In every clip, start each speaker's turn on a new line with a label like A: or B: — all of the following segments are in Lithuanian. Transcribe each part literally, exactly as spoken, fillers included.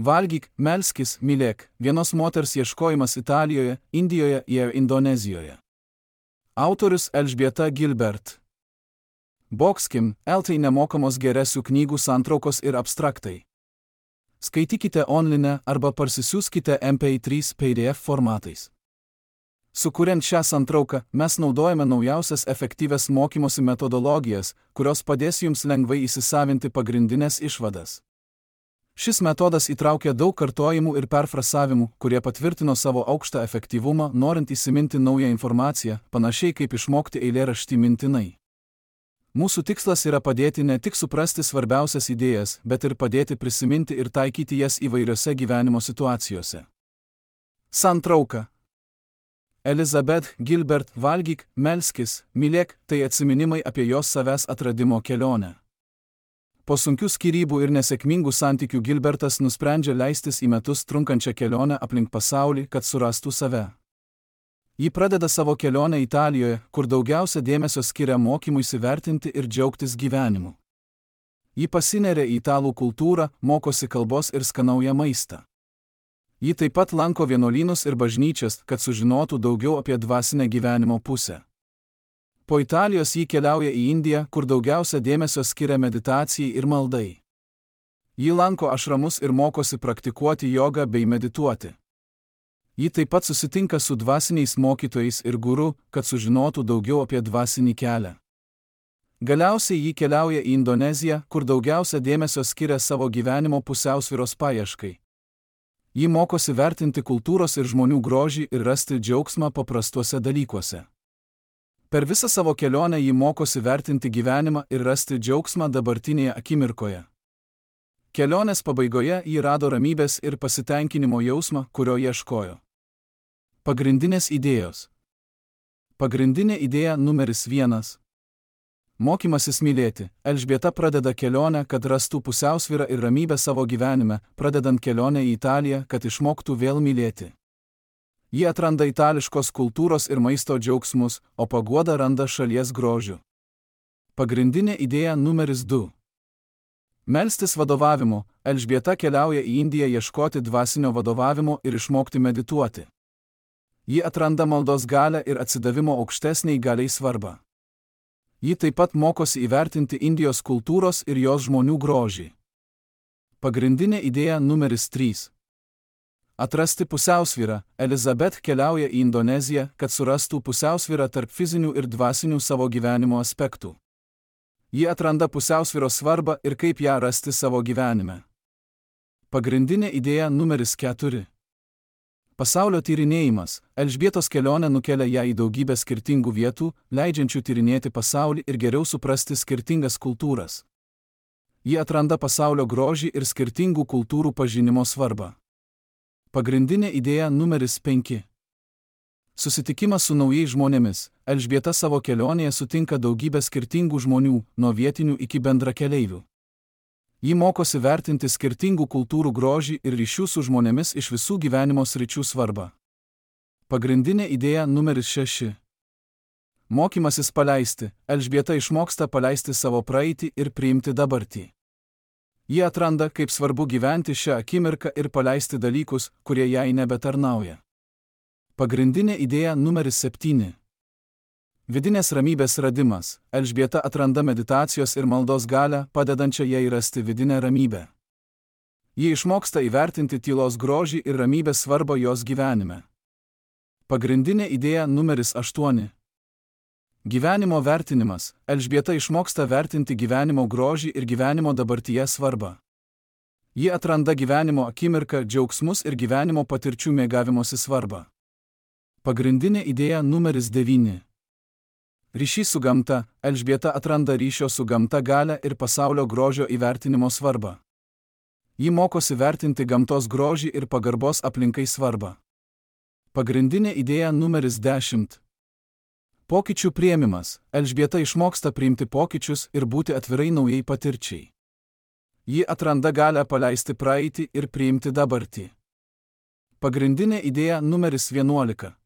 A: Valgyk, melskis, mylėk, vienos moters ieškojimas Italijoje, Indijoje ir Indonezijoje. Autorius Elžbieta Gilbert. Boxkim, eltai nemokamos geresių knygų santraukos ir abstraktai. Skaitykite online arba parsisiųskite M P trys P D F formatais. Sukuriant šią santrauką, mes naudojame naujausias efektyvias mokymosi metodologijas, kurios padės jums lengvai įsisavinti pagrindinės išvadas. Šis metodas įtraukia daug kartojimų ir perfrasavimų, kurie patvirtino savo aukštą efektyvumą, norint įsiminti naują informaciją, panašiai kaip išmokti eilėraštį mintinai. Mūsų tikslas yra padėti ne tik suprasti svarbiausias idėjas, bet ir padėti prisiminti ir taikyti jas įvairiose gyvenimo situacijose. Santrauka. Elizabeth Gilbert. Valgyk, melskis, mylėk – tai atsiminimai apie jos savęs atradimo kelionę. Po sunkių skyrybų ir nesėkmingų santykių Gilbertas nusprendžia leistis į metus trunkančią kelionę aplink pasaulį, kad surastų save. Ji pradeda savo kelionę Italijoje, kur daugiausia dėmesio skiria mokymui įsivertinti ir džiaugtis gyvenimu. Ji pasineria į italų kultūrą, mokosi kalbos ir skanauja maistą. Ji taip pat lanko vienuolynus ir bažnyčias, kad sužinotų daugiau apie dvasinę gyvenimo pusę. Po Italijos ji keliauja į Indiją, kur daugiausia dėmesio skiria meditacijai ir maldai. Ji lanko ašramus ir mokosi praktikuoti jogą bei medituoti. Ji taip pat susitinka su dvasiniais mokytojais ir guru, kad sužinotų daugiau apie dvasinį kelią. Galiausiai ji keliauja į Indoneziją, kur daugiausia dėmesio skiria savo gyvenimo pusiausvyros paieškai. Ji mokosi vertinti kultūros ir žmonių grožį ir rasti džiaugsmą paprastuose dalykuose. Per visą savo kelionę ji mokosi vertinti gyvenimą ir rasti džiaugsmą dabartinėje akimirkoje. Kelionės pabaigoje ji rado ramybės ir pasitenkinimo jausmą, kurio ieškojo. Pagrindinės idėjos. Pagrindinė idėja numeris vienas. Mokymasis mylėti. Elžbieta pradeda kelionę, kad rastų pusiausvyrą ir ramybę savo gyvenime, pradedant kelionę į Italiją, kad išmoktų vėl mylėti. Ji atranda itališkos kultūros ir maisto džiaugsmus, o paguodą randa šalies grožiu. Pagrindinė idėja numeris du. Melstis vadovavimo. Elžbieta keliauja į Indiją ieškoti dvasinio vadovavimo ir išmokti medituoti. Ji atranda maldos galią ir atsidavimo aukštesniai galiai svarbą. Ji taip pat mokosi įvertinti Indijos kultūros ir jos žmonių grožį. Pagrindinė idėja numeris trys. Atrasti pusiausvyrą. Elizabeth keliauja į Indoneziją, kad surastų pusiausvyrą tarp fizinių ir dvasinių savo gyvenimo aspektų. Ji atranda pusiausvyros svarbą ir kaip ją rasti savo gyvenime. Pagrindinė idėja numeris keturi. Pasaulio tyrinėjimas. Elžbietos kelionė nukelia ją į daugybę skirtingų vietų, leidžiančių tyrinėti pasaulį ir geriau suprasti skirtingas kultūras. Ji atranda pasaulio grožį ir skirtingų kultūrų pažinimo svarbą. Pagrindinė idėja numeris penki. Susitikimas su naujais žmonėmis. Elžbieta savo kelionėje sutinka daugybę skirtingų žmonių, nuo vietinių iki bendrakeleivių. Ji mokosi vertinti skirtingų kultūrų grožį ir ryšių su žmonėmis iš visų gyvenimo sričių svarbą. Pagrindinė idėja numeris šeši. Mokymasis paleisti. Elžbieta išmoksta paleisti savo praeitį ir priimti dabartį. Ji atranda, kaip svarbu gyventi šią akimirką ir paleisti dalykus, kurie jai nebetarnauja. Pagrindinė idėja numeris septyni. Vidinės ramybės radimas. Elžbieta atranda meditacijos ir maldos galią, padedančią jai rasti vidinę ramybę. Ji išmoksta įvertinti tylos grožį ir ramybės svarbą jos gyvenime. Pagrindinė idėja numeris aštuoni. Gyvenimo vertinimas. Elžbieta išmoksta vertinti gyvenimo grožį ir gyvenimo dabartyje svarbą. Ji atranda gyvenimo akimirką, džiaugsmus ir gyvenimo patirčių mėgavimosi svarbą. Pagrindinė idėja numeris devyni. Ryšys su gamta. Elžbieta atranda ryšio su gamta galią ir pasaulio grožio įvertinimo svarbą. Ji mokosi vertinti gamtos grožį ir pagarbos aplinkai svarbą. Pagrindinė idėja numeris dešimt. Pokyčių priėmimas. Elžbieta išmoksta priimti pokyčius ir būti atvirai naujai patirčiai. Ji atranda galią paleisti praeitį ir priimti dabartį. Pagrindinė idėja numeris vienuolika.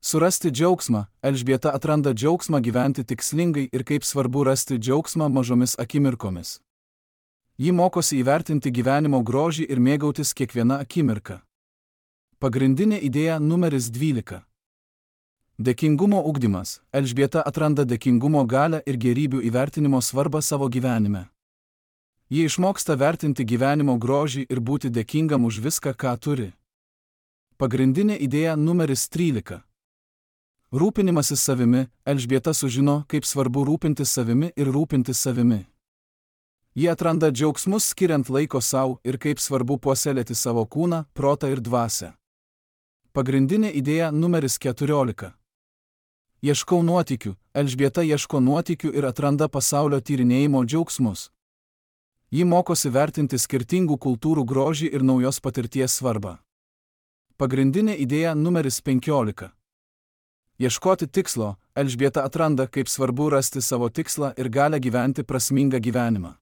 A: Surasti džiaugsmą. Elžbieta atranda džiaugsmą gyventi tikslingai ir kaip svarbu rasti džiaugsmą mažomis akimirkomis. Ji mokosi įvertinti gyvenimo grožį ir mėgautis kiekviena akimirka. Pagrindinė idėja numeris dvylika. Dėkingumo ugdymas. Elžbieta atranda dėkingumo galią ir gėrybių įvertinimo svarbą savo gyvenime. Ji išmoksta vertinti gyvenimo grožį ir būti dėkingam už viską, ką turi. Pagrindinė idėja numeris trylika. Rūpinimasis savimi. Elžbieta sužino, kaip svarbu rūpintis savimi ir rūpintis savimi. Ji atranda džiaugsmus skiriant laiko savo ir kaip svarbu puoselėti savo kūną, protą ir dvasią. Pagrindinė idėja numeris keturiolika. Ieškau nuotykių. Elžbieta ieško nuotykių ir atranda pasaulio tyrinėjimo džiaugsmus. Ji mokosi vertinti skirtingų kultūrų grožį ir naujos patirties svarbą. Pagrindinė idėja numeris penkiolika. Ieškoti tikslo. Elžbieta atranda, kaip svarbu rasti savo tikslą ir galę gyventi prasmingą gyvenimą.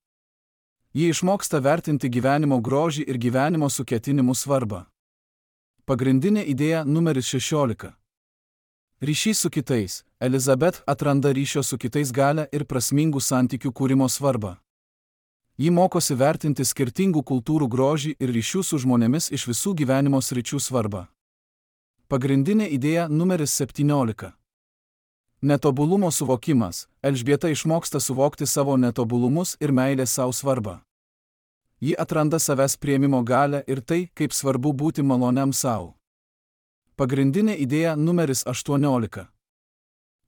A: Ji išmoksta vertinti gyvenimo grožį ir gyvenimo suketinimų svarbą. Pagrindinė idėja numeris šešiolika. Ryšys su kitais. Elizabet atranda ryšio su kitais galę ir prasmingų santykių kūrimo svarbą. Ji mokosi vertinti skirtingų kultūrų grožį ir ryšių su žmonėmis iš visų gyvenimo sričių svarbą. Pagrindinė idėja numeris septyniolika. Netobulumo suvokimas. Elžbieta išmoksta suvokti savo netobulumus ir meilės savo svarbą. Ji atranda savęs priėmimo galią ir tai, kaip svarbu būti maloniam savo. Pagrindinė idėja numeris aštuoniolika.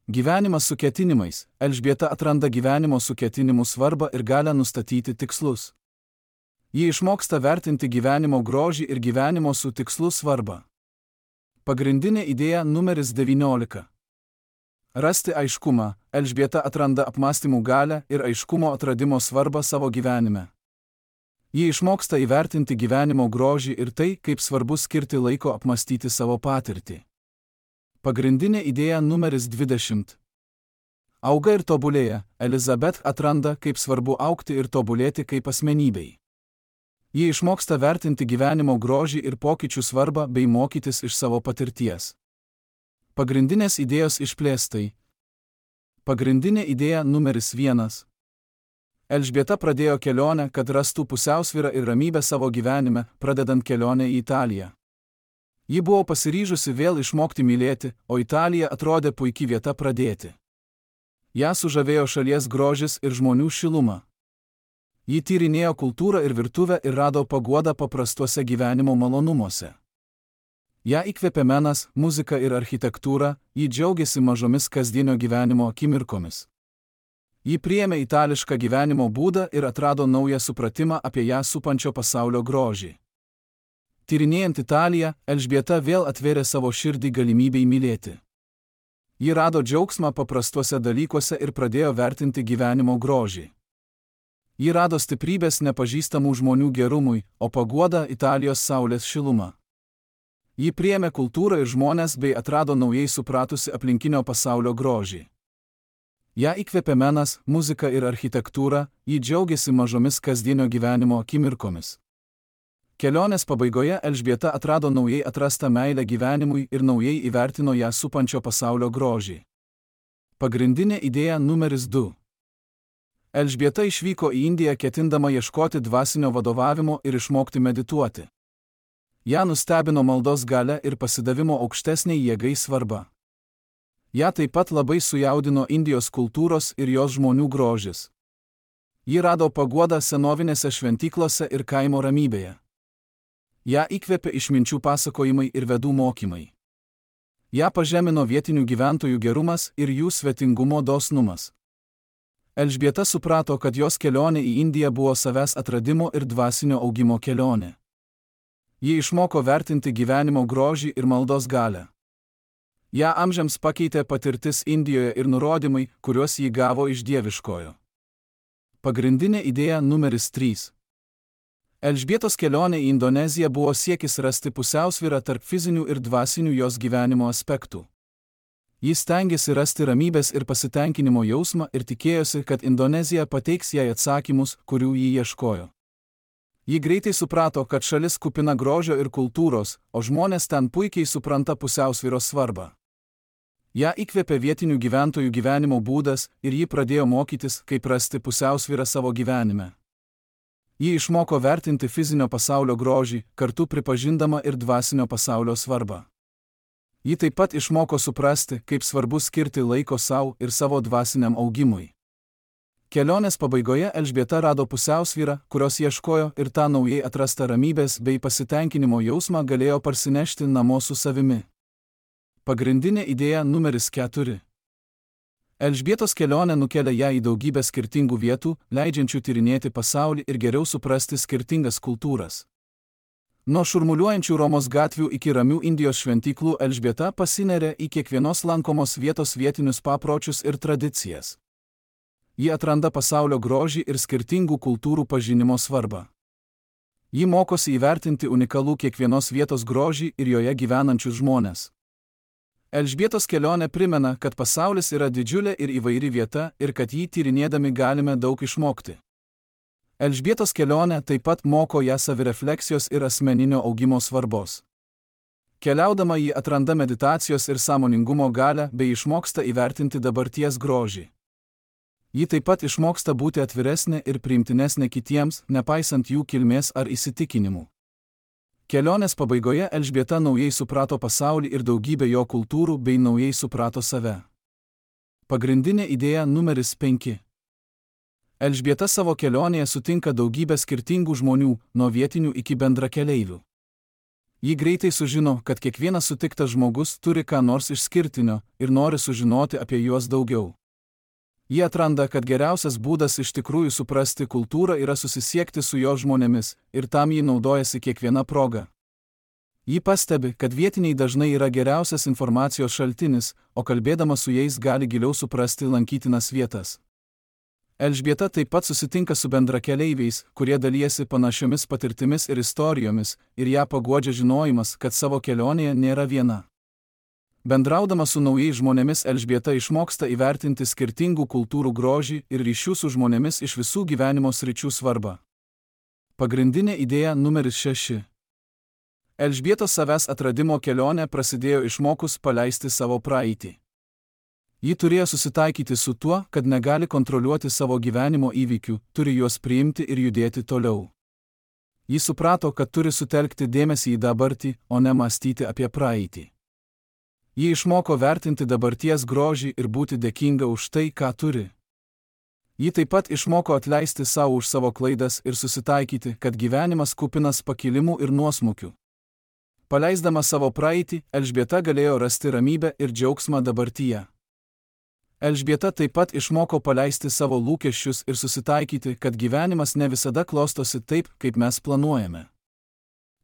A: Gyvenimas su ketinimais. Elžbieta atranda gyvenimo su ketinimų svarbą ir galę nustatyti tikslus. Ji išmoksta vertinti gyvenimo grožį ir gyvenimo su tikslu svarbą. Pagrindinė idėja numeris devyniolika. Rasti aiškumą. Elžbieta atranda apmąstymų galę ir aiškumo atradimo svarbą savo gyvenime. Ji išmoksta įvertinti gyvenimo grožį ir tai, kaip svarbu skirti laiko apmąstyti savo patirtį. Pagrindinė idėja numeris dvidešimt. Auga ir tobulėja. Elizabet atranda, kaip svarbu augti ir tobulėti kaip asmenybei. Ji išmoksta vertinti gyvenimo grožį ir pokyčių svarbą bei mokytis iš savo patirties. Pagrindinės idėjos išplėstai. Pagrindinė idėja numeris vienas. Elžbieta pradėjo kelionę, kad rastų pusiausvyrą ir ramybę savo gyvenime, pradedant kelionę į Italiją. Ji buvo pasiryžusi vėl išmokti mylėti, o Italija atrodė puikia vieta pradėti. Ją sužavėjo šalies grožis ir žmonių šiluma. Ji tyrinėjo kultūrą ir virtuvę ir rado paguodą paprastuose gyvenimo malonumuose. Ją įkvėpė menas, muzika ir architektūra, ji džiaugiasi mažomis kasdienio gyvenimo akimirkomis. Ji priėmė itališką gyvenimo būdą ir atrado naują supratimą apie ją supančio pasaulio grožį. Tyrinėjant Italiją, Elžbieta vėl atvėrė savo širdį galimybei mylėti. Ji rado džiaugsmą paprastuose dalykuose ir pradėjo vertinti gyvenimo grožį. Ji rado stiprybės nepažįstamų žmonių gerumui, o paguodą Italijos saulės šilumą. Ji priėmė kultūrą ir žmones bei atrado naujai supratusi aplinkinio pasaulio grožį. Ją įkvėpė menas, muzika ir architektūra, ji džiaugiasi mažomis kasdienio gyvenimo akimirkomis. Kelionės pabaigoje Elžbieta atrado naujai atrastą meilę gyvenimui ir naujai įvertino ją supančio pasaulio grožį. Pagrindinė idėja numeris du. Elžbieta išvyko į Indiją ketindama ieškoti dvasinio vadovavimo ir išmokti medituoti. Ją nustebino maldos galia ir pasidavimo aukštesniai jėgai svarba. Ją taip pat labai sujaudino Indijos kultūros ir jos žmonių grožis. Ji rado paguodą senovinėse šventyklose ir kaimo ramybėje. Ją įkvėpė išminčių pasakojimai ir vedų mokymai. Ją pažemino vietinių gyventojų gerumas ir jų svetingumo dosnumas. Elžbieta suprato, kad jos kelionė į Indiją buvo savęs atradimo ir dvasinio augimo kelionė. Ji išmoko vertinti gyvenimo grožį ir maldos galią. Ją amžiams pakeitė patirtis Indijoje ir nurodymai, kuriuos ji gavo iš dieviškojo. Pagrindinė idėja numeris trys. Elžbietos kelionė į Indoneziją buvo siekis rasti pusiausvyrą tarp fizinių ir dvasinių jos gyvenimo aspektų. Jis stengiasi rasti ramybės ir pasitenkinimo jausmą ir tikėjosi, kad Indonezija pateiks jai atsakymus, kurių ji ieškojo. Ji greitai suprato, kad šalis kupina grožio ir kultūros, o žmonės ten puikiai supranta pusiausvyros svarbą. Ją įkvėpė vietinių gyventojų gyvenimo būdas ir ji pradėjo mokytis, kaip rasti pusiausvyrą savo gyvenime. Ji išmoko vertinti fizinio pasaulio grožį, kartu pripažindama ir dvasinio pasaulio svarbą. Ji taip pat išmoko suprasti, kaip svarbu skirti laiko savo ir savo dvasiniam augimui. Kelionės pabaigoje Elžbieta rado pusiausvyrą, kurios ieškojo, ir tą naujai atrastą ramybės bei pasitenkinimo jausmą galėjo parsinešti namo su savimi. Pagrindinė idėja numeris keturi. Elžbietos kelionė nukelia ją į daugybę skirtingų vietų, leidžiančių tyrinėti pasaulį ir geriau suprasti skirtingas kultūras. Nuo šurmuliuojančių Romos gatvių iki ramių Indijos šventyklų Elžbieta pasineria į kiekvienos lankomos vietos vietinius papročius ir tradicijas. Ji atranda pasaulio grožį ir skirtingų kultūrų pažinimo svarbą. Ji mokosi įvertinti unikalų kiekvienos vietos grožį ir joje gyvenančius žmones. Elžbietos kelionė primena, kad pasaulis yra didžiulė ir įvairi vieta ir kad jį tyrinėdami galime daug išmokti. Elžbietos kelionė taip pat moko ją savirefleksijos ir asmeninio augimo svarbos. Keliaudama ji atranda meditacijos ir sąmoningumo galią bei išmoksta įvertinti dabarties grožį. Ji taip pat išmoksta būti atviresnė ir priimtinesnė kitiems, nepaisant jų kilmės ar įsitikinimų. Kelionės pabaigoje Elžbieta naujai suprato pasaulį ir daugybę jo kultūrų bei naujai suprato save. Pagrindinė idėja numeris penki. Elžbieta savo kelionėje sutinka daugybę skirtingų žmonių, nuo vietinių iki bendrakeleivių. Ji greitai sužino, kad kiekvienas sutiktas žmogus turi ką nors išskirtinio ir nori sužinoti apie juos daugiau. Ji atranda, kad geriausias būdas iš tikrųjų suprasti kultūrą yra susisiekti su jo žmonėmis, ir tam ji naudojasi kiekviena proga. Ji pastebi, kad vietiniai dažnai yra geriausias informacijos šaltinis, o kalbėdama su jais gali giliau suprasti lankytinas vietas. Elžbieta taip pat susitinka su bendrakeleiviais, kurie dalijasi panašiomis patirtimis ir istorijomis, ir ją paguodžia žinojimas, kad savo kelionėje nėra viena. Bendraudama su naujais žmonėmis Elžbieta išmoksta įvertinti skirtingų kultūrų grožį ir ryšių su žmonėmis iš visų gyvenimo sričių svarbą. Pagrindinė idėja numeris šeši. Elžbietos savęs atradimo kelionė prasidėjo išmokus paleisti savo praeitį. Ji turėjo susitaikyti su tuo, kad negali kontroliuoti savo gyvenimo įvykių, turi juos priimti ir judėti toliau. Ji suprato, kad turi sutelkti dėmesį į dabartį, o ne mąstyti apie praeitį. Ji išmoko vertinti dabarties grožį ir būti dėkinga už tai, ką turi. Ji taip pat išmoko atleisti savo už savo klaidas ir susitaikyti, kad gyvenimas kupinas pakilimų ir nuosmukių. Paleisdama savo praeitį, Elžbieta galėjo rasti ramybę ir džiaugsmą dabartyje. Elžbieta taip pat išmoko paleisti savo lūkesčius ir susitaikyti, kad gyvenimas ne visada klostosi taip, kaip mes planuojame.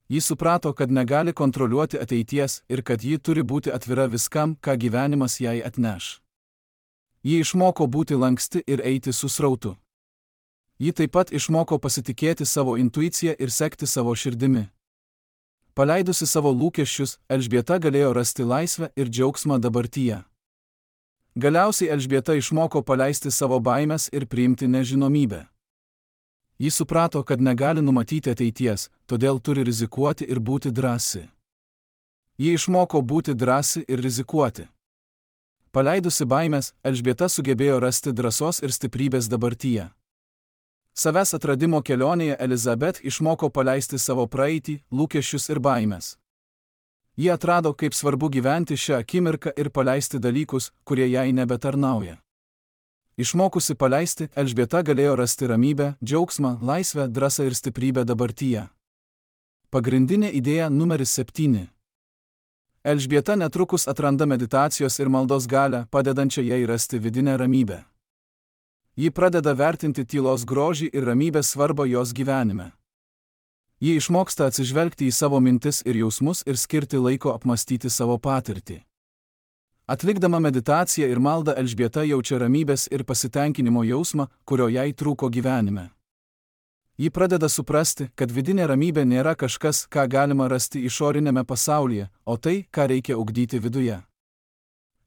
A: Ji suprato, kad negali kontroliuoti ateities ir kad ji turi būti atvira viskam, ką gyvenimas jai atneš. Ji išmoko būti lanksti ir eiti su srautu. Ji taip pat išmoko pasitikėti savo intuiciją ir sekti savo širdimi. Paleidusi savo lūkesčius, Elžbieta galėjo rasti laisvę ir džiaugsmą dabartyje. Galiausiai Elžbieta išmoko paleisti savo baimes ir priimti nežinomybę. Ji suprato, kad negali numatyti ateities, todėl turi rizikuoti ir būti drąsi. Ji išmoko būti drąsi ir rizikuoti. Paleidusi baimes, Elžbieta sugebėjo rasti drąsos ir stiprybės dabartyje. Savęs atradimo kelionėje Elizabet išmoko paleisti savo praeitį, lūkesčius ir baimes. Ji atrado, kaip svarbu gyventi šią akimirką ir paleisti dalykus, kurie jai nebetarnauja. Išmokusi paleisti, Elžbieta galėjo rasti ramybę, džiaugsmą, laisvę, drąsą ir stiprybę dabartyje. Pagrindinė idėja numeris septyni. Elžbieta netrukus atranda meditacijos ir maldos galią, padedančią jai rasti vidinę ramybę. Ji pradeda vertinti tylos grožį ir ramybės svarbą jos gyvenime. Ji išmoksta atsižvelgti į savo mintis ir jausmus ir skirti laiko apmąstyti savo patirtį. Atlikdama meditaciją ir maldą Elžbieta jaučia ramybės ir pasitenkinimo jausmą, kurio jai trūko gyvenime. Ji pradeda suprasti, kad vidinė ramybė nėra kažkas, ką galima rasti išorinėme pasaulyje, o tai, ką reikia ugdyti viduje.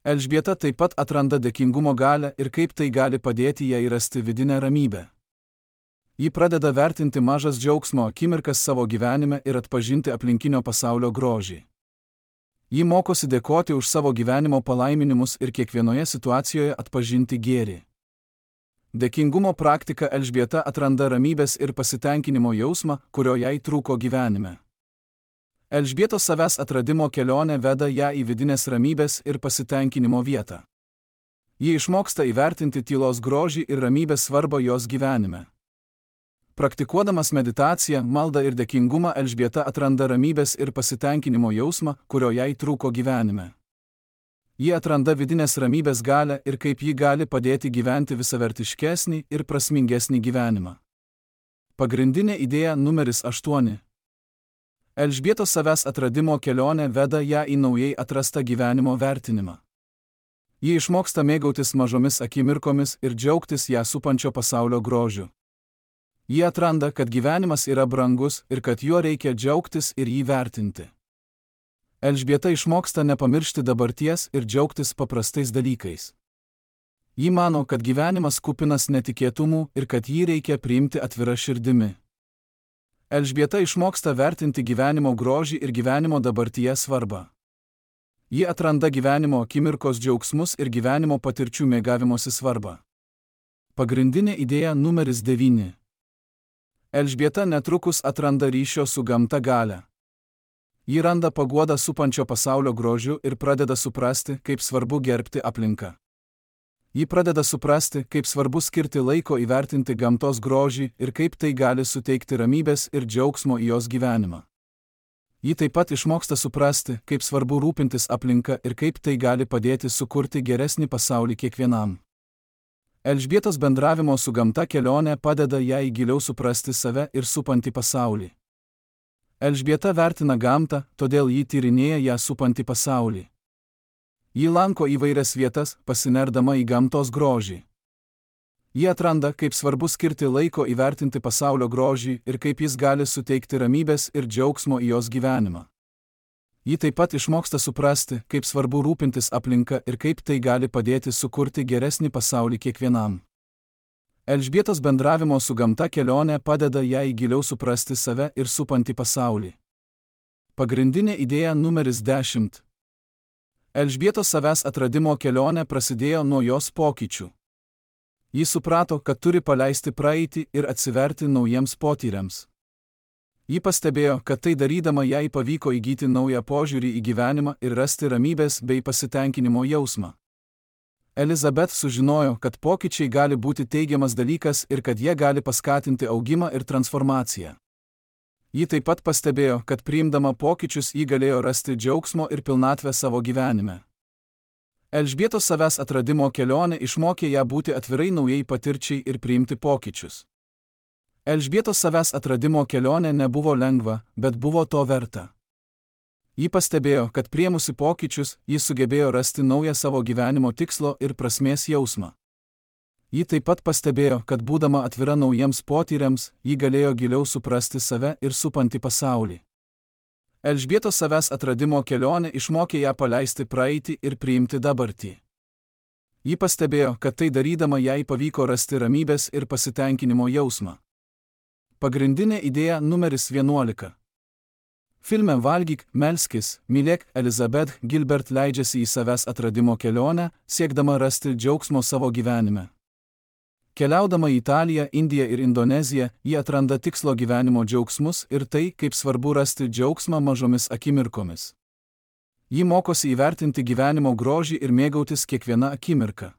A: Elžbieta taip pat atranda dėkingumo galią ir kaip tai gali padėti jai rasti vidinę ramybę. Ji pradeda vertinti mažas džiaugsmo akimirkas savo gyvenime ir atpažinti aplinkinio pasaulio grožį. Ji mokosi dėkoti už savo gyvenimo palaiminimus ir kiekvienoje situacijoje atpažinti gėrį. Dėkingumo praktika Elžbieta atranda ramybės ir pasitenkinimo jausmą, kurio jai trūko gyvenime. Elžbietos savęs atradimo kelionė veda ją į vidinės ramybės ir pasitenkinimo vietą. Ji išmoksta įvertinti tylos grožį ir ramybės svarbą jos gyvenime. Praktikuodamas meditaciją, maldą ir dėkingumą Elžbieta atranda ramybės ir pasitenkinimo jausmą, kurio jai trūko gyvenime. Ji atranda vidinės ramybės galią ir kaip ji gali padėti gyventi visavertiškesnį ir prasmingesnį gyvenimą. Pagrindinė idėja numeris aštuoni. Elžbietos savęs atradimo kelionė veda ją į naujai atrastą gyvenimo vertinimą. Ji išmoksta mėgautis mažomis akimirkomis ir džiaugtis ją supančio pasaulio grožiu. Ji atranda, kad gyvenimas yra brangus ir kad juo reikia džiaugtis ir jį vertinti. Elžbieta išmoksta nepamiršti dabarties ir džiaugtis paprastais dalykais. Ji mano, kad gyvenimas kupinas netikėtumų ir kad jį reikia priimti atvira širdimi. Elžbieta išmoksta vertinti gyvenimo grožį ir gyvenimo dabartyje svarbą. Ji atranda gyvenimo akimirkos džiaugsmus ir gyvenimo patirčių mėgavimosi svarbą. Pagrindinė idėja numeris devyni. Elžbieta netrukus atranda ryšio su gamta galią. Ji randa paguodą supančio pasaulio grožiu ir pradeda suprasti, kaip svarbu gerbti aplinką. Ji pradeda suprasti, kaip svarbu skirti laiko įvertinti gamtos grožį ir kaip tai gali suteikti ramybės ir džiaugsmo į jos gyvenimą. Ji taip pat išmoksta suprasti, kaip svarbu rūpintis aplinka ir kaip tai gali padėti sukurti geresnį pasaulį kiekvienam. Elžbietos bendravimo su gamta kelionė padeda jai giliau suprasti save ir supantį pasaulį. Elžbieta vertina gamtą, todėl ji tyrinėja ją supantį pasaulį. Ji lanko įvairias vietas, pasinerdama į gamtos grožį. Ji atranda, kaip svarbu skirti laiko įvertinti pasaulio grožį ir kaip jis gali suteikti ramybės ir džiaugsmo į jos gyvenimą. Ji taip pat išmoksta suprasti, kaip svarbu rūpintis aplinka ir kaip tai gali padėti sukurti geresnį pasaulį kiekvienam. Elžbietos bendravimo su gamta kelionė padeda jai giliau suprasti save ir supantį pasaulį. Pagrindinė idėja numeris dešimt. Elžbietos savęs atradimo kelionė prasidėjo nuo jos pokyčių. Ji suprato, kad turi paleisti praeitį ir atsiverti naujiems potyriams. Ji pastebėjo, kad tai darydama jai pavyko įgyti naują požiūrį į gyvenimą ir rasti ramybės bei pasitenkinimo jausmą. Elizabeth sužinojo, kad pokyčiai gali būti teigiamas dalykas ir kad jie gali paskatinti augimą ir transformaciją. Ji taip pat pastebėjo, kad priimdama pokyčius ji galėjo rasti džiaugsmo ir pilnatvę savo gyvenime. Elžbietos savęs atradimo kelionė išmokė ją būti atvirai naujai patirčiai ir priimti pokyčius. Elžbietos savęs atradimo kelionė nebuvo lengva, bet buvo to verta. Ji pastebėjo, kad priėmusi pokyčius, ji sugebėjo rasti naują savo gyvenimo tikslo ir prasmės jausmą. Ji taip pat pastebėjo, kad būdama atvira naujiems potyriams, ji galėjo giliau suprasti save ir supantį pasaulį. Elžbietos savęs atradimo kelionė išmokė ją paleisti praeitį ir priimti dabartį. Ji pastebėjo, kad tai darydama jai pavyko rasti ramybės ir pasitenkinimo jausmą. Pagrindinė idėja numeris vienuolika. Filme Valgyk, melskis, mylėk Elizabeth Gilbert leidžiasi į savęs atradimo kelionę, siekdama rasti džiaugsmo savo gyvenime. Keliaudama į Italiją, Indiją ir Indoneziją, ji atranda tikslo gyvenimo džiaugsmus ir tai, kaip svarbu rasti džiaugsmą mažomis akimirkomis. Ji mokosi įvertinti gyvenimo grožį ir mėgautis kiekviena akimirka.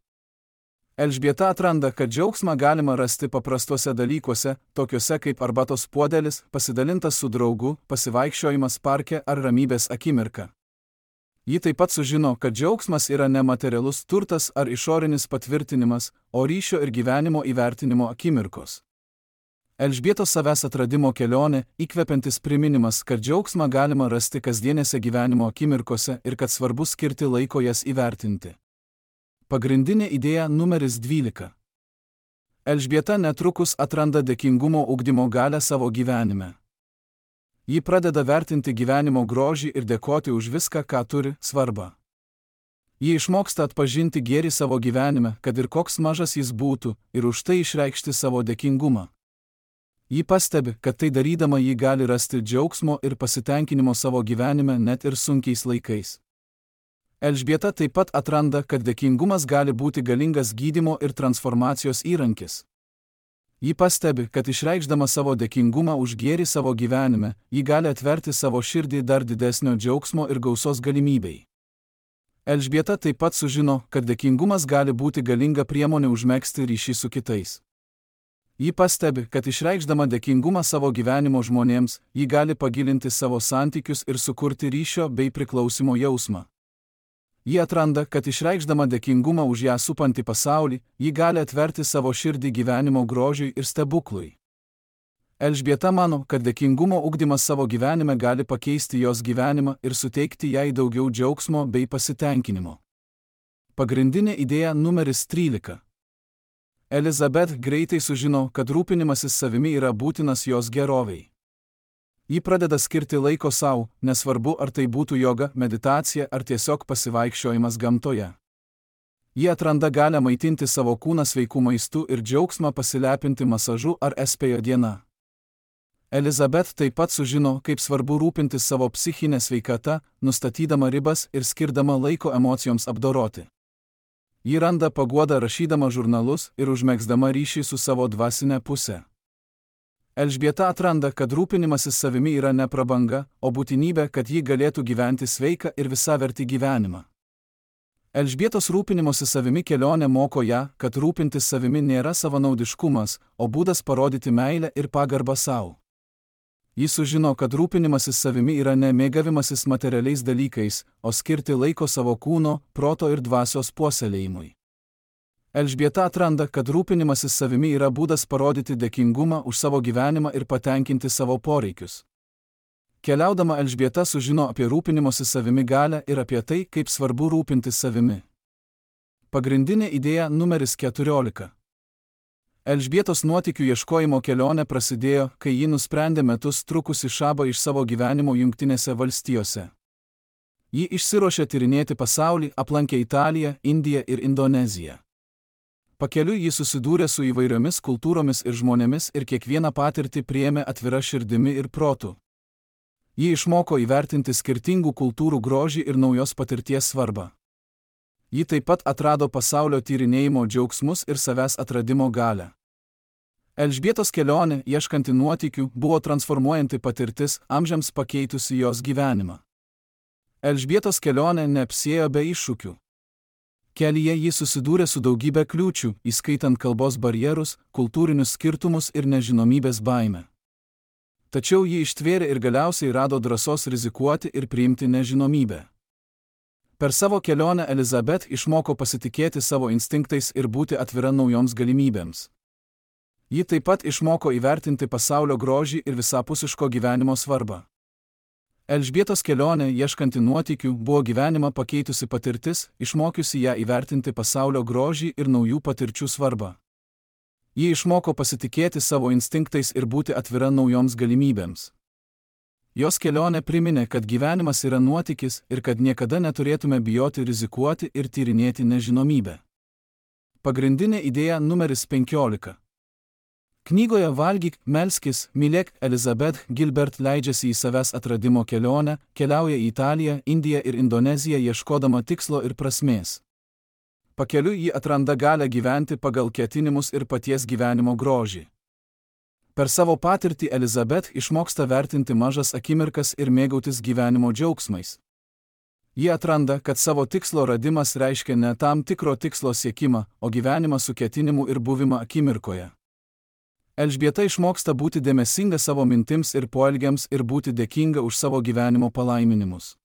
A: Elžbieta atranda, kad džiaugsmą galima rasti paprastuose dalykuose, tokiuose kaip arbatos puodelis, pasidalintas su draugu, pasivaikščiojimas parke ar ramybės akimirka. Ji taip pat sužino, kad džiaugsmas yra nematerialus turtas ar išorinis patvirtinimas, o ryšio ir gyvenimo įvertinimo akimirkos. Elžbietos savęs atradimo kelionė, įkvepiantis priminimas, kad džiaugsmą galima rasti kasdienėse gyvenimo akimirkose ir kad svarbu skirti laiko jas įvertinti. Pagrindinė idėja numeris dvylika. Elžbieta netrukus atranda dėkingumo ugdymo galią savo gyvenime. Ji pradeda vertinti gyvenimo grožį ir dėkoti už viską, ką turi, svarbą. Ji išmoksta atpažinti gėrį savo gyvenime, kad ir koks mažas jis būtų, ir už tai išreikšti savo dėkingumą. Ji pastebi, kad tai darydama ji gali rasti džiaugsmo ir pasitenkinimo savo gyvenime net ir sunkiais laikais. Elžbieta taip pat atranda, kad dėkingumas gali būti galingas gydymo ir transformacijos įrankis. Ji pastebi, kad išreikšdama savo dėkingumą už gėrį savo gyvenime, ji gali atverti savo širdį dar didesnio džiaugsmo ir gausos galimybei. Elžbieta taip pat sužino, kad dėkingumas gali būti galinga priemonė užmegzti ryšį su kitais. Ji pastebi, kad išreikšdama dėkingumą savo gyvenimo žmonėms, ji gali pagilinti savo santykius ir sukurti ryšio bei priklausimo jausmą. Ji atranda, kad išreikšdama dėkingumą už ją supantį pasaulį, ji gali atverti savo širdį gyvenimo grožiui ir stebuklui. Elžbieta mano, kad dėkingumo ugdymas savo gyvenime gali pakeisti jos gyvenimą ir suteikti jai daugiau džiaugsmo bei pasitenkinimo. Pagrindinė idėja numeris trylika. Elizabeth greitai sužino, kad rūpinimasis savimi yra būtinas jos gerovei. Ji pradeda skirti laiko savo, nesvarbu ar tai būtų joga, meditacija ar tiesiog pasivaikščiojimas gamtoje. Ji atranda galę maitinti savo kūną sveikų maistų ir džiaugsmą pasilepinti masažu ar espėjo diena. Elizabeth taip pat sužino, kaip svarbu rūpintis savo psichinę sveikatą, nustatydama ribas ir skirdama laiko emocijoms apdoroti. Ji randa paguodą rašydama žurnalus ir užmegzdama ryšį su savo dvasinė pusė. Elžbieta atranda, kad rūpinimasis savimi yra ne prabanga, o būtinybė, kad ji galėtų gyventi sveiką ir visavertį gyvenimą. Elžbietos rūpinimosi savimi kelionė moko ją, kad rūpintis savimi nėra savanaudiškumas, o būdas parodyti meilę ir pagarbą savo. Ji sužino, kad rūpinimasis savimi yra ne mėgavimasis materialiais dalykais, o skirti laiko savo kūno, proto ir dvasios puoselėjimui. Elžbieta atranda, kad rūpinimasis savimi yra būdas parodyti dėkingumą už savo gyvenimą ir patenkinti savo poreikius. Keliaudama Elžbieta sužino apie rūpinimosi savimi galią ir apie tai, kaip svarbu rūpintis savimi. Pagrindinė idėja numeris keturiolika. Elžbietos nuotykių ieškojimo kelionė prasidėjo, kai ji nusprendė metus trukusį šabą iš savo gyvenimo Jungtinėse valstijose. Ji išsiruošė tyrinėti pasaulį, aplankė Italiją, Indiją ir Indoneziją. Pakeliui ji susidūrė su įvairiomis kultūromis ir žmonėmis ir kiekvieną patirtį priėmė atvira širdimi ir protu. Ji išmoko įvertinti skirtingų kultūrų grožį ir naujos patirties svarbą. Ji taip pat atrado pasaulio tyrinėjimo džiaugsmus ir savęs atradimo galią. Elžbietos kelionė, ieškanti nuotykių, buvo transformuojanti patirtis, amžiams pakeitusi jos gyvenimą. Elžbietos kelionė neapsėjo be iššūkių. Kelyje ji susidūrė su daugybė kliūčių, įskaitant kalbos barjerus, kultūrinius skirtumus ir nežinomybės baimę. Tačiau ji ištvėrė ir galiausiai rado drąsos rizikuoti ir priimti nežinomybę. Per savo kelionę Elizabeth išmoko pasitikėti savo instinktais ir būti atvira naujoms galimybėms. Ji taip pat išmoko įvertinti pasaulio grožį ir visapusiško gyvenimo svarbą. Elžbietos kelionė, ieškanti nuotykių, buvo gyvenimą pakeitusi patirtis, išmokiusi ją įvertinti pasaulio grožį ir naujų patirčių svarbą. Ji išmoko pasitikėti savo instinktais ir būti atvira naujoms galimybėms. Jos kelionė priminė, kad gyvenimas yra nuotykis ir kad niekada neturėtume bijoti rizikuoti ir tyrinėti nežinomybę. Pagrindinė idėja numeris penkiolika. Knygoje Valgyk, melskis, mylėk Elizabeth Gilbert leidžiasi į savęs atradimo kelionę, keliauja į Italiją, Indiją ir Indoneziją ieškodama tikslo ir prasmės. Pakeliui ji atranda galę gyventi pagal ketinimus ir paties gyvenimo grožį. Per savo patirtį Elizabeth išmoksta vertinti mažas akimirkas ir mėgautis gyvenimo džiaugsmais. Ji atranda, kad savo tikslo radimas reiškia ne tam tikro tikslo siekimą, o gyvenimą su ketinimu ir buvimą akimirkoje. Elžbieta išmoksta būti dėmesinga savo mintims ir poelgiams ir būti dėkinga už savo gyvenimo palaiminimus.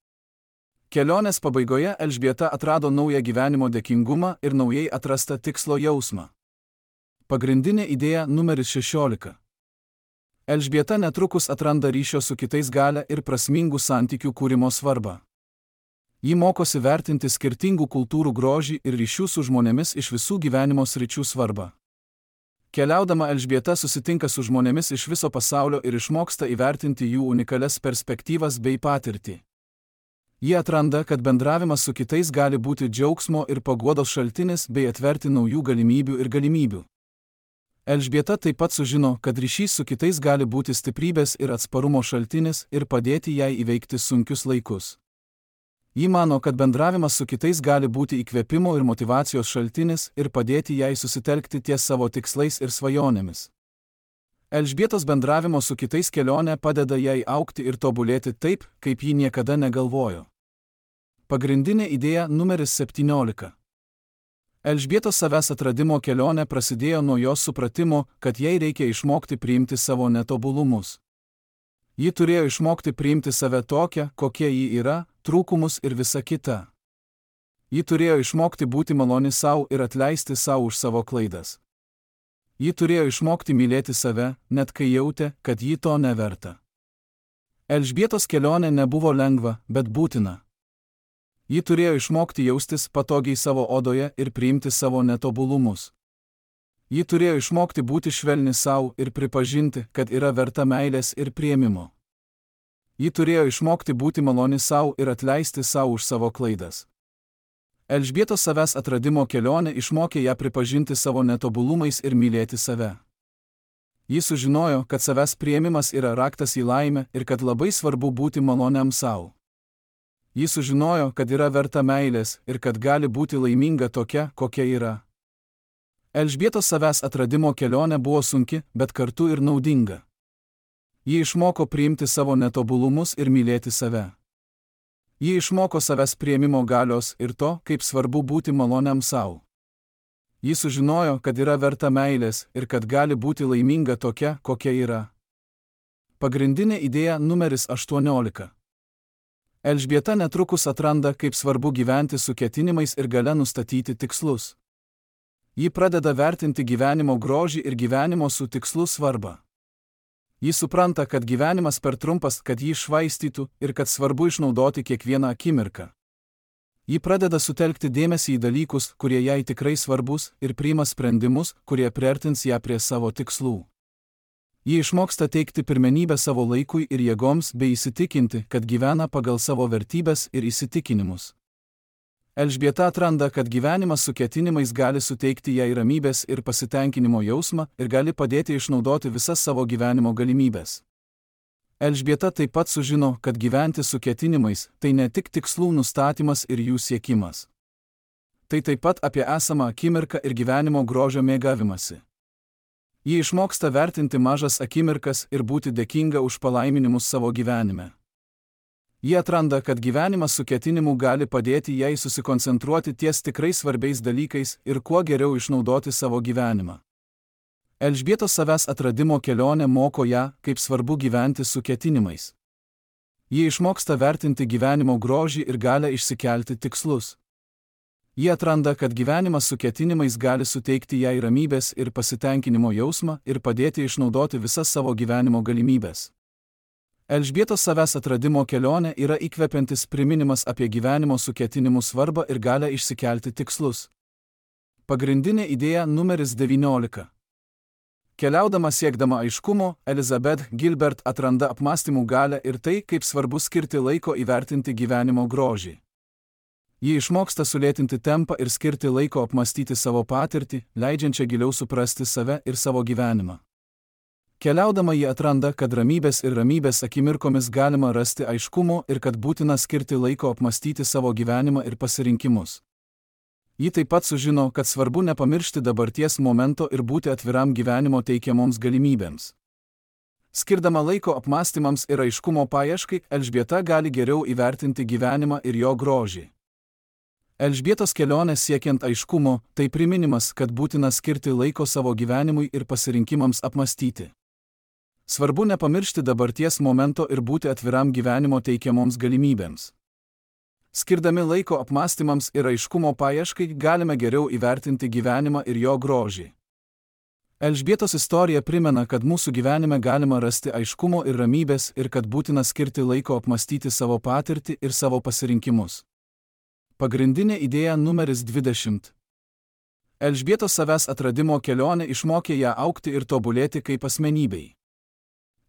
A: Kelionės pabaigoje Elžbieta atrado naują gyvenimo dėkingumą ir naujai atrastą tikslo jausmą. Pagrindinė idėja numeris šešiolika. Elžbieta netrukus atranda ryšio su kitais galią ir prasmingų santykių kūrimo svarbą. Ji mokosi vertinti skirtingų kultūrų grožį ir ryšių su žmonėmis iš visų gyvenimo sričių svarbą. Keliaudama Elžbieta susitinka su žmonėmis iš viso pasaulio ir išmoksta įvertinti jų unikalias perspektyvas bei patirtį. Ji atranda, kad bendravimas su kitais gali būti džiaugsmo ir paguodos šaltinis bei atverti naujų galimybių ir galimybių. Elžbieta taip pat sužino, kad ryšys su kitais gali būti stiprybės ir atsparumo šaltinis ir padėti jai įveikti sunkius laikus. Ji mano, kad bendravimas su kitais gali būti įkvėpimo ir motyvacijos šaltinis ir padėti jai susitelkti ties savo tikslais ir svajonėmis. Elžbietos bendravimo su kitais kelionė padeda jai augti ir tobulėti taip, kaip ji niekada negalvojo. Pagrindinė idėja numeris septyniolika. Elžbietos savęs atradimo kelionė prasidėjo nuo jos supratimo, kad jai reikia išmokti priimti savo netobulumus. Ji turėjo išmokti priimti save tokią, kokia ji yra, trūkumus ir visa kita. Ji turėjo išmokti būti maloni sau ir atleisti sau už savo klaidas. Ji turėjo išmokti mylėti save, net kai jautė, kad ji to neverta. Elžbietos kelionė nebuvo lengva, bet būtina. Ji turėjo išmokti jaustis patogiai savo odoje ir priimti savo netobulumus. Ji turėjo išmokti būti švelni sau ir pripažinti, kad yra verta meilės ir priėmimo. Ji turėjo išmokti būti maloni sau ir atleisti sau už savo klaidas. Elžbietos savęs atradimo kelionė išmokė ją pripažinti savo netobulumais ir mylėti save. Ji sužinojo, kad savęs priėmimas yra raktas į laimę ir kad labai svarbu būti maloniam sau. Ji sužinojo, kad yra verta meilės ir kad gali būti laiminga tokia, kokia yra. Elžbietos savęs atradimo kelionė buvo sunki, bet kartu ir naudinga. Ji išmoko priimti savo netobulumus ir mylėti save. Ji išmoko savęs priėmimo galios ir to, kaip svarbu būti maloniam sau. Ji sužinojo, kad yra verta meilės ir kad gali būti laiminga tokia, kokia yra. Pagrindinė idėja numeris aštuoniolika. Elžbieta netrukus atranda, kaip svarbu gyventi su ketinimais ir galia nustatyti tikslus. Ji pradeda vertinti gyvenimo grožį ir gyvenimo su tikslu svarbą. Ji supranta, kad gyvenimas per trumpas, kad jį švaistytų ir kad svarbu išnaudoti kiekvieną akimirką. Ji pradeda sutelkti dėmesį į dalykus, kurie jai tikrai svarbus, ir priima sprendimus, kurie priartins ją prie savo tikslų. Ji išmoksta teikti pirmenybę savo laikui ir jėgoms bei įsitikinti, kad gyvena pagal savo vertybes ir įsitikinimus. Elžbieta atranda, kad gyvenimas su ketinimais gali suteikti jai ramybės ir pasitenkinimo jausmą ir gali padėti išnaudoti visas savo gyvenimo galimybės. Elžbieta taip pat sužino, kad gyventi su ketinimais tai ne tik tikslų nustatymas ir jų siekimas. Tai taip pat apie esamą akimirką ir gyvenimo grožio mėgavimąsi. Ji išmoksta vertinti mažas akimirkas ir būti dėkinga už palaiminimus savo gyvenime. Ji atranda, kad gyvenimas su ketinimu gali padėti jai susikoncentruoti ties tikrai svarbiais dalykais ir kuo geriau išnaudoti savo gyvenimą. Elžbietos savęs atradimo kelionė moko ją, kaip svarbu gyventi su ketinimais. Ji išmoksta vertinti gyvenimo grožį ir galę išsikelti tikslus. Ji atranda, kad gyvenimas su ketinimais gali suteikti jai ramybės ir pasitenkinimo jausmą ir padėti išnaudoti visas savo gyvenimo galimybės. Elžbietos savęs atradimo kelionė yra įkvepiantis priminimas apie gyvenimo su ketinimu svarbą ir galę išsikelti tikslus. Pagrindinė idėja numeris devyniolika. Keliaudama siekdama aiškumo, Elizabeth Gilbert atranda apmąstymų galę ir tai, kaip svarbu skirti laiko įvertinti gyvenimo grožį. Ji išmoksta sulėtinti tempą ir skirti laiko apmąstyti savo patirtį, leidžiančią giliau suprasti save ir savo gyvenimą. Keliaudama ji atranda, kad ramybės ir ramybės akimirkomis galima rasti aiškumo ir kad būtina skirti laiko apmąstyti savo gyvenimą ir pasirinkimus. Ji taip pat sužino, kad svarbu nepamiršti dabarties momento ir būti atviram gyvenimo teikiamoms galimybėms. Skirdama laiko apmąstymams ir aiškumo paieškai, Elžbieta gali geriau įvertinti gyvenimą ir jo grožį. Elžbietos kelionė siekiant aiškumo – tai priminimas, kad būtina skirti laiko savo gyvenimui ir pasirinkimams apmąstyti. Svarbu nepamiršti dabarties momento ir būti atviram gyvenimo teikiamoms galimybėms. Skirdami laiko apmąstymams ir aiškumo paieškai galime geriau įvertinti gyvenimą ir jo grožį. Elžbietos istorija primena, kad mūsų gyvenime galima rasti aiškumo ir ramybės ir kad būtina skirti laiko apmąstyti savo patirtį ir savo pasirinkimus. Pagrindinė idėja numeris dvidešimt. Elžbietos savęs atradimo kelionė išmokė ją augti ir tobulėti kaip asmenybei.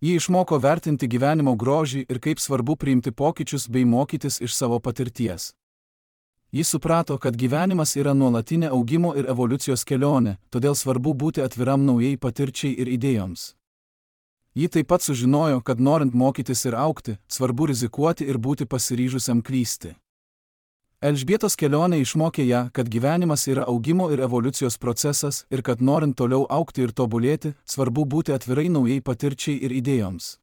A: Ji išmoko vertinti gyvenimo grožį ir kaip svarbu priimti pokyčius bei mokytis iš savo patirties. Ji suprato, kad gyvenimas yra nuolatinė augimo ir evoliucijos kelionė, todėl svarbu būti atviram naujai patirčiai ir idėjoms. Ji taip pat sužinojo, kad norint mokytis ir augti, svarbu rizikuoti ir būti pasiryžusiam klysti. Elžbietos kelionė išmokė ją, kad gyvenimas yra augimo ir evoliucijos procesas ir kad norint toliau augti ir tobulėti, svarbu būti atvirai naujai patirčiai ir idėjoms.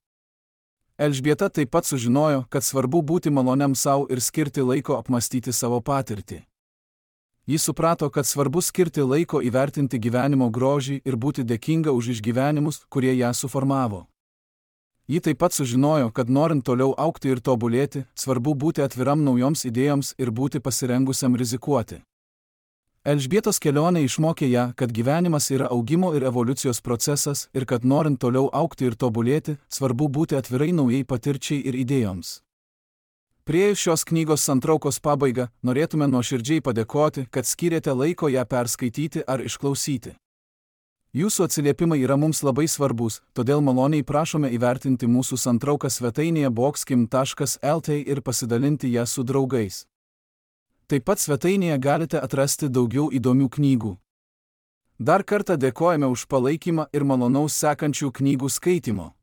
A: Elžbieta taip pat sužinojo, kad svarbu būti maloniam savo ir skirti laiko apmastyti savo patirtį. Ji suprato, kad svarbu skirti laiko įvertinti gyvenimo grožį ir būti dėkinga už išgyvenimus, kurie ją suformavo. Ji taip pat sužinojo, kad norint toliau augti ir tobulėti, svarbu būti atviram naujoms idėjoms ir būti pasirengusiam rizikuoti. Elžbietos kelionė išmokė ją, kad gyvenimas yra augimo ir evoliucijos procesas ir kad norint toliau augti ir tobulėti, svarbu būti atvirai naujai patirčiai ir idėjoms. Priėjus šios knygos santraukos pabaigą, norėtume nuoširdžiai padėkoti, kad skyrėte laiko ją perskaityti ar išklausyti. Jūsų atsiliepimai yra mums labai svarbus, todėl maloniai prašome įvertinti mūsų santrauką svetainėje boxkim taškas lt ir pasidalinti ją su draugais. Taip pat svetainėje galite atrasti daugiau įdomių knygų. Dar kartą dėkojame už palaikymą ir malonaus sekančių knygų skaitimo.